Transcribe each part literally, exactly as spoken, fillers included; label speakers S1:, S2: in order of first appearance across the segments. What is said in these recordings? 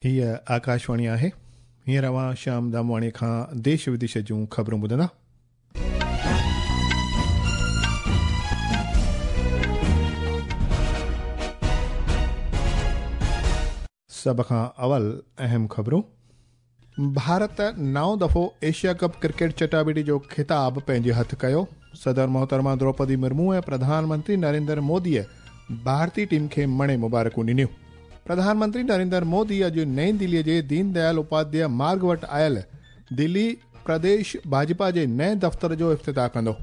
S1: हीअ आकाशवाणी आहे। हींअर अव्हां श्याम दामवाणी खां देश विदेश जूं ख़बरूं ॿुधंदा। सभ खां अवल अहम ख़बरूं। भारत नओं दफ़ो एशिया कप क्रिकेट चटाबेटी जो ख़िताब पंहिंजे हथ कयो। सदर मोहतरमा द्रौपदी मुर्मू ऐं प्रधानमंत्री नरेंद्र मोदीअ भारतीय टीम खे मणे मुबारकूं ॾिनियूं। प्रधानमंत्री नरेंद्र मोदी अॼु नई दिल्लीअ जे दीनदयाल उपाध्याय मार्ग वटि आयल दिल्ली प्रदेश भाजपा जे नए दफ़्तर जो इफ्तिताह कंदो।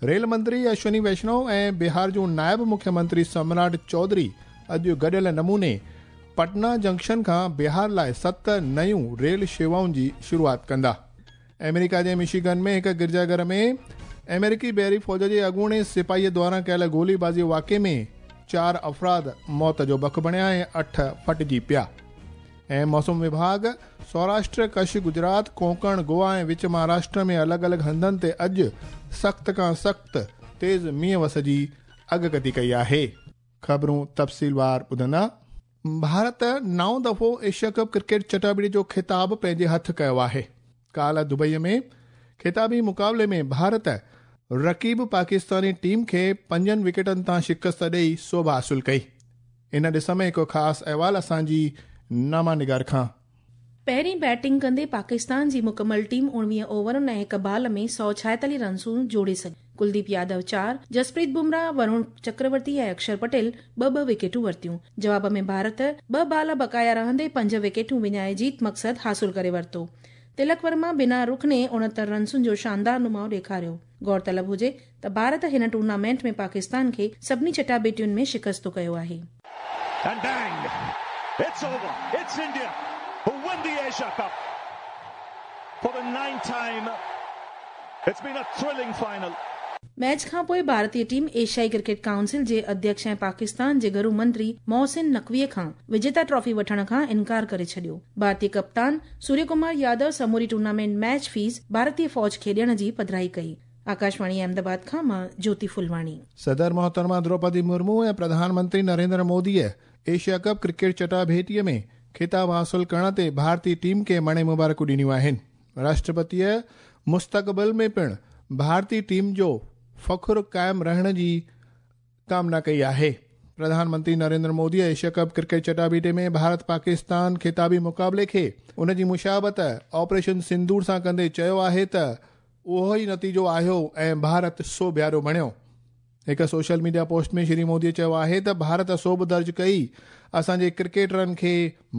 S1: रेल मंत्री अश्विनी वैष्णव ऐं बिहार जो नायब मुख्यमंत्री सम्राट चौधरी अॼु गॾियल नमूने पटना जंक्शन खां बिहार लाइ सत नयूं रेल शेवाउनि जी शुरूआत कंदा। अमेरिका जे मिशिगन में हिकु गिरजाघर में अमेरिकी बहरी फ़ौज जे अॻूणे सिपाहीअ द्वारा कयल गोलीबाज़ी वाक़े में चार अफ़राद मौत जो बक बणिया ऐं अठ फटिजी पिया। ऐं मौसम विभाग सौराष्ट्र, कच्छ, गुजरात, कोंकण, गोवा ऐं विच महाराष्ट्र में अलॻि अलॻि हंधनि ते अॼु सख़्त खां सख़्त तेज़ मींहुं वस जी अॻकथी कई आहे। ख़बरूं तफ़सीलवार ॿुधंदा। भारत नओं दफ़ो एशिया कप क्रिकेट चटाबेटी जो ख़िताब पंहिंजे हथ कयो आहे। काल्ह दुबईअ में ख़िताबी मुक़ाबले में भारत रक़ीब पाकिस्तानी टीम खे पंजनि विकेटनि तां शिकस्त ॾेई सोभ हासिल कई। इन ॾिस में हिकु ख़ासि अहवाल असांजी नामा निगार खां।
S2: पहिरीं बैटिंग कंदे पाकिस्तान जी मुकमल टीम उणिवीह ओवरनि ऐं हिकु बाल में सौ छाएतालीह रनसूं जोड़े सघी। कुलदीप यादव चार, जसप्रीत बुमराह, वरुण चक्रवर्ती ऐं अक्षर पटेल ॿ ॿ विकेटूं वरितियूं। जवाब में भारत ॿ बाल बकाया रहंदे पंज विकेटूं विञाए जीत मक़सदु हासिल करे वरितो। तिलक वर्मा बिना रुखने उणहतरि रनसुनि जो शानदार नुमाउ ॾेखारियो। गौर तलब हुजे त भारत हिन टूर्नामेंट में पाकिस्तान खे सभिनी चटाबेटियुनि में शिकस्त कयो आहे।
S3: And bang, it's over. It's India who win the Asia Cup for the ninth time. It's been a thrilling final.
S2: Match खां पोइ भारतीय टीम एशियाई क्रिकेट काउंसिल जे अध्यक्ष ऐं पाकिस्तान जे घरू मंत्री मोहसिन नकवीअ खां विजेता ट्रॉफी वठण खां इनकार करे छॾियो। भारतीय कप्तान सूर्य कुमार यादव समूरी टूर्नामेंट मैच फीस भारतीय फ़ौज खे ॾियण जी पधराई कई। आकाशवाणी अहमदाबाद खां मां ज्योति फुलवाणी।
S1: सदर मोहतरमा द्रौपदी मुर्मू ऐं प्रधानमंत्री नरेंद्र मोदीअ एशिया कप क्रिकेट चटाभेटीअ में ख़िताब हासिल करण ते भारतीय टीम खे मणे मुबारकूं ॾिनियूं आहिनि। राष्ट्रपतीअ मुस्तक़बिल में पिणु भारतीय टीम जो फ़ख्र क़ाइमु रहण जी कामना कई आहे। प्रधानमंत्री नरेंद्र मोदीअ एशिया कप क्रिकेट चटाबेटी में भारत पाकिस्तान ख़िताबी मुक़ाबले खे उन जी मुशाबत ऑपरेशन सिंदूर सां कंदे चयो आहे त उहो ई नतीजो आयो ऐं भारत सोभियारो बणियो। हिकु सोशल मीडिया पोस्ट में श्री मोदीअ चयो आहे त भारत सोभ दर्ज कई, असांजे क्रिकेटरनि खे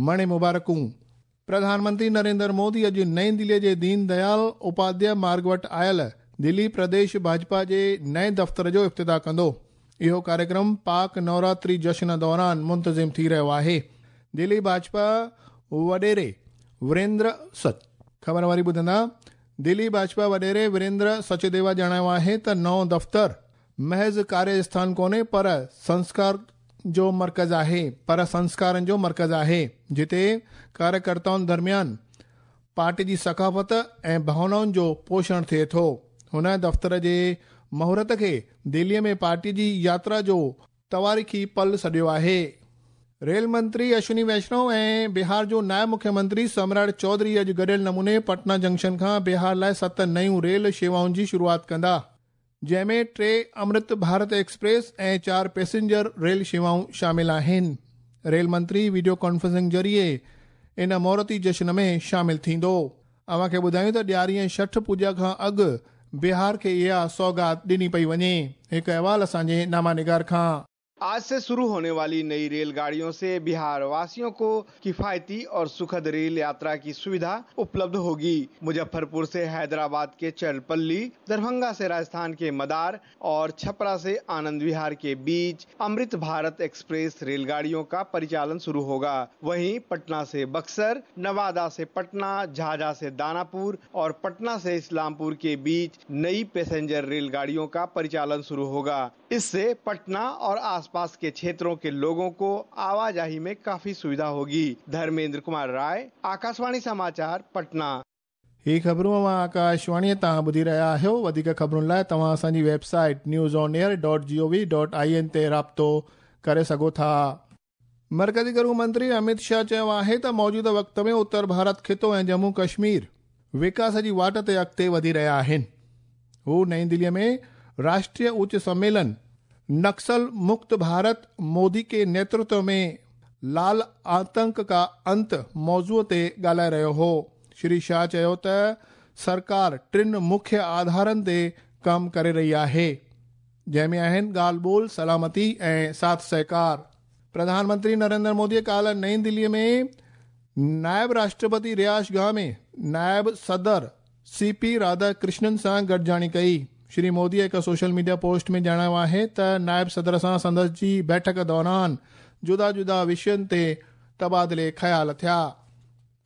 S1: मणे मुबारकूं। प्रधानमंत्री नरेंद्र मोदी अॼु नई दिल्लीअ जे दीनदयाल उपाध्याय मार्ग वटि आयल दिल्ली प्रदेश भाजपा जे नए दफ़्तर जो इफ्तिताह कंदो। इहो कार्यक्रम पाक नवरात्रि जश्न दौरान मुंतज़िम थी रहियो आहे। दिल्ली भाजपा वॾेरे वीरेंद्र सच ख़बर वरी ॿुधंदा। दिल्ली भाजपा वॾेरे वीरेंद्र सचदेवा ॼाणायो आहे त नओं दफ़्तर महज़ कार्यस्थान कोन्हे पर संस्कार जो मर्कज़ आहे पर संस्कारनि जो मर्कज़ आहे, जिते कार्यकर्ताउनि दरमियान पार्टी जी सकाफ़त ऐं भावनाउनि जो पोषण थिए थो। हुन दफ़्तर जे मुहूर्त खे दिल्लीअ में पार्टी जी यात्रा जो तवारीख़ी पल सॾियो आहे। रेल मंत्री अश्विनी वैष्णव ऐं बिहार जो नायब मुख्यमंत्री सम्राट चौधरी अॼु गॾियल नमूने पटना जंक्शन खां बिहार लाइ सत नयूं रेल शेवाउनि जी शुरूआत कंदा, जंहिंमें टे अमृत भारत एक्सप्रेस ऐं चार पैसेंजर रेल शेवाऊं शामिल आहिनि। रेल मंत्री वीडियो कॉन्फ्रेंसिंग ज़रिए इन मुहूर्ती जश्न में शामिल थींदो। अव्हांखे ॿुधायूं त ॾियारी ऐं छठ पूजा खां अॻु बिहार खे इहा सौगात ॾिनी पई वञे। हिकु अहवाल असांजे नामा निगार खां।
S4: आज से शुरू होने वाली नई रेलगाड़ियों से बिहार वासियों को किफायती और सुखद रेल यात्रा की सुविधा उपलब्ध होगी। मुजफ्फरपुर से हैदराबाद के चरपल्ली, दरभंगा से राजस्थान के मदार और छपरा से आनंद विहार के बीच अमृत भारत एक्सप्रेस रेलगाड़ियों का परिचालन शुरू होगा। वहीं पटना से बक्सर, नवादा से पटना, झाझा से दानापुर और पटना से इस्लामपुर के बीच नई पैसेंजर रेलगाड़ियों का परिचालन शुरू होगा। इससे पटना और आसपास के क्षेत्रों के लोगों को आवाजाही में काफी सुविधा होगी। धर्मेंद्र कुमार राय, आकाशवाणी समाचार, पटना।
S1: ही ख़बरूं अव्हां आकाशवाणीअ तां ॿुधी रहिया आहियो। वधीक ख़बरुनि लाइ तव्हां असांजी website news on air dot G O V dot I N ते राब्तो करे सघो था। मर्कज़ी गृह मंत्री अमित शाह चयो आहे त मौजूदा वक़्त में उत्तर भारत ख़ितो ऐं जम्मू कश्मीर विकास जी वाट ते अॻिते वधी रहिया आहिनि। हू नई दिल्लीअ में राष्ट्रीय उच्च सम्मेलन नक्सल मुक्त भारत मोदी के नेतृत्व में लाल आतंक का अंत मौज़ूअ ते ॻाल्हाए रहियो हो। श्री शाह चयो त सरकार टिनि मुख्य आधारनि ते कमु करे रही आहे, जंहिंमें आहिनि ॻाल्हि ॿोल, सलामती ऐं साथ सहकार। प्रधानमंत्री नरेंद्र मोदी काल्हि नई दिल्लीअ में नायब राष्ट्रपति रियाश गाह में नायब सदर सी पी राधाकृष्णन सां गॾिजाणी कई। श्री मोदी हिकु सोशल मीडिया पोस्ट में ॼाणायो आहे त नायब सदर सां संदसि जी बैठक दौरान जुदा जुदा विषयनि ते तबादिले ख़्याल थिया।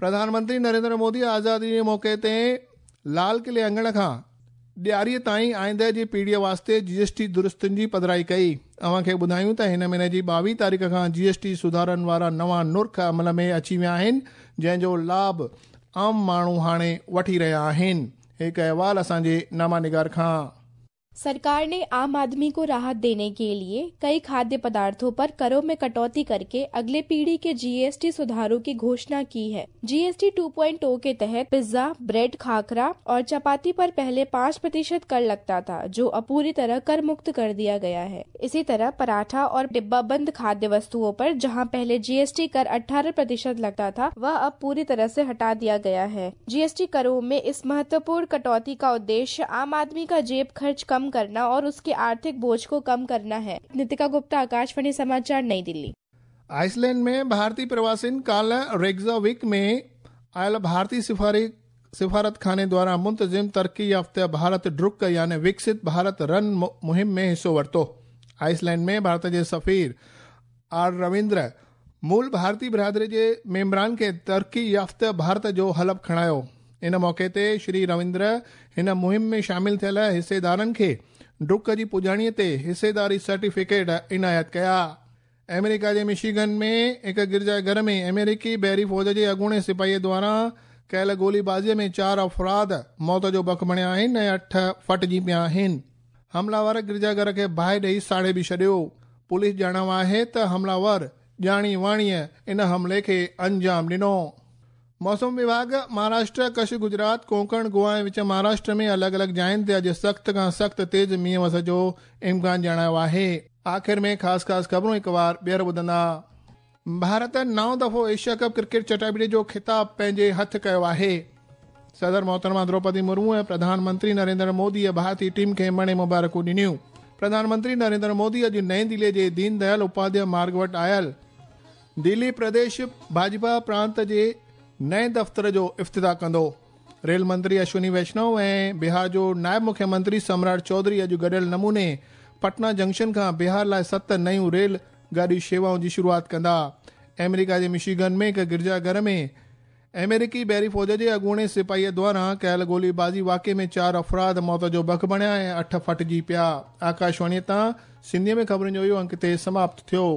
S1: प्रधानमंत्री नरेंद्र मोदी आज़ादी जे मौक़े ते लाल किले अंगण खां ॾियारीअ ताईं आईंदे जी पीढ़ीअ वास्ते जीएसटी दुरुस्तियुनि जी पधराई कई। अव्हां खे ॿुधायूं त हिन महीने जी ॿावीह तारीख़ खां जीएसटी सुधारनि वारा नवां नुर्ख अमल में अची विया आहिनि, जंहिंजो लाभ आम माण्हू हाणे वठी रहिया आहिनि। हिकु अहवाल असांजे नामा निगार खां।
S5: सरकार ने आम आदमी को राहत देने के लिए कई खाद्य पदार्थों पर करों में कटौती करके अगले पीढ़ी के जीएसटी सुधारों की घोषणा की है। जीएसटी टू पॉइंट ओ के तहत पिज्जा, ब्रेड, खाखरा और चपाती पर पहले पाँच प्रतिशत कर लगता था, जो अब पूरी तरह कर मुक्त कर दिया गया है। इसी तरह पराठा और डिब्बा बंद खाद्य वस्तुओं पर जहां पहले जीएसटी कर अठारह प्रतिशत लगता था, वह अब पूरी तरह से हटा दिया गया है। जीएसटी करों में इस महत्वपूर्ण कटौती का उद्देश्य आम आदमी का जेब खर्च कम करना और उसके आर्थिक बोझ को कम करना है। नितिका गुप्ता, आकाशवाणी समाचार, नई दिल्ली।
S1: आइसलैंड में भारतीय प्रवासियुनि काल्हि रेगजाविक में आयल भारतीय सिफारी सिफारत खाने द्वारा मुंतज़िम तरक्की याफ़्ता भारत ड्रुक यानी विकसित भारत रन मुहिम में हिसो वरितो। आइसलैंड में भारत जे सफ़ीर are Ravindra मूल भारतीय बिरादरी जे मेंबरान खे तरक्की याफ़्ता भारत जो हलफ़ खणायो। इन मौक़े ते श्री रविंद्र हिन मुहिम में शामिल थियल हिस्सेदारनि खे ड्रुक जी पुॼाणीअ ते हिस्सेदारी सर्टिफिकेट इनायत कया। अमेरिका जे मिशीगन में हिकु गिरजा घर में अमेरिकी बहरी फ़ौज जे अॻूणे सिपाहीअ द्वारा कयल गोलीबाज़ीअ में चारि अफ़राद मौत जो बक बणिया आहिनि ऐं अठ फटिजी पिया आहिनि। हमलावर गिरजा घर खे बाहि ॾेई साड़े बि छॾियो। पुलिस ॼाणायो आहे त हमलावर ॼाणी वाणीअ इन हमले खे अंजाम ॾिनो। मौसम विभाग महाराष्ट्र, कच्छ, गुजरात, कोंकण, गोवा ऐं विच महाराष्ट्र में अलॻि अलॻि जाइनि ते अॼु सख़्त खां सख़्तु तेज़ मींहुं वस जो इम्कान ॼाणायो आहे। आख़िर में ख़ासि ख़ासि ख़बरूं हिकु बार ॿीहर ॿुधंदा। भारत नओं दफ़ो एशिया कप क्रिकेट चटाबीड़ी जो ख़िताब पंहिंजे हथ कयो आहे। सदर मोहतरमा द्रौपदी मुर्मू ऐं प्रधानमंत्री नरेंद्र मोदीअ भारतीय टीम खे मणे मुबारकूं ॾिनियूं। प्रधानमंत्री नरेंद्र मोदी अॼु नई दिल्लीअ जे दीनदयाल उपाध्याय मार्ग वटि आयल दिल्ली प्रदेश भाजपा प्रांत जे नए दफ़्तर जो इफ्तिताह कंदो। रेल मंत्री अश्विनी वैष्णव ऐं बिहार जो नायब मुख्यमंत्री सम्राट चौधरी अॼु गॾियल नमूने पटना जंक्शन खां बिहार लाइ सत नयूं रेल गाॾी शेवाउनि जी शुरूआत कंदा। अमेरिका जे मिशीगन में हिकु गिरजा घर में अमेरिकी बहरी फ़ौज जे अॻूणे सिपाहीअ द्वारा कयल गोलीबाज़ी वाक़े में चारि अफ़राद मौत जो बक बणिया ऐं अठ फटिजी पिया। आकाशवाणीअ तां सिंधीअ में ख़बरुनि जो इहो अंक ते समाप्त थियो।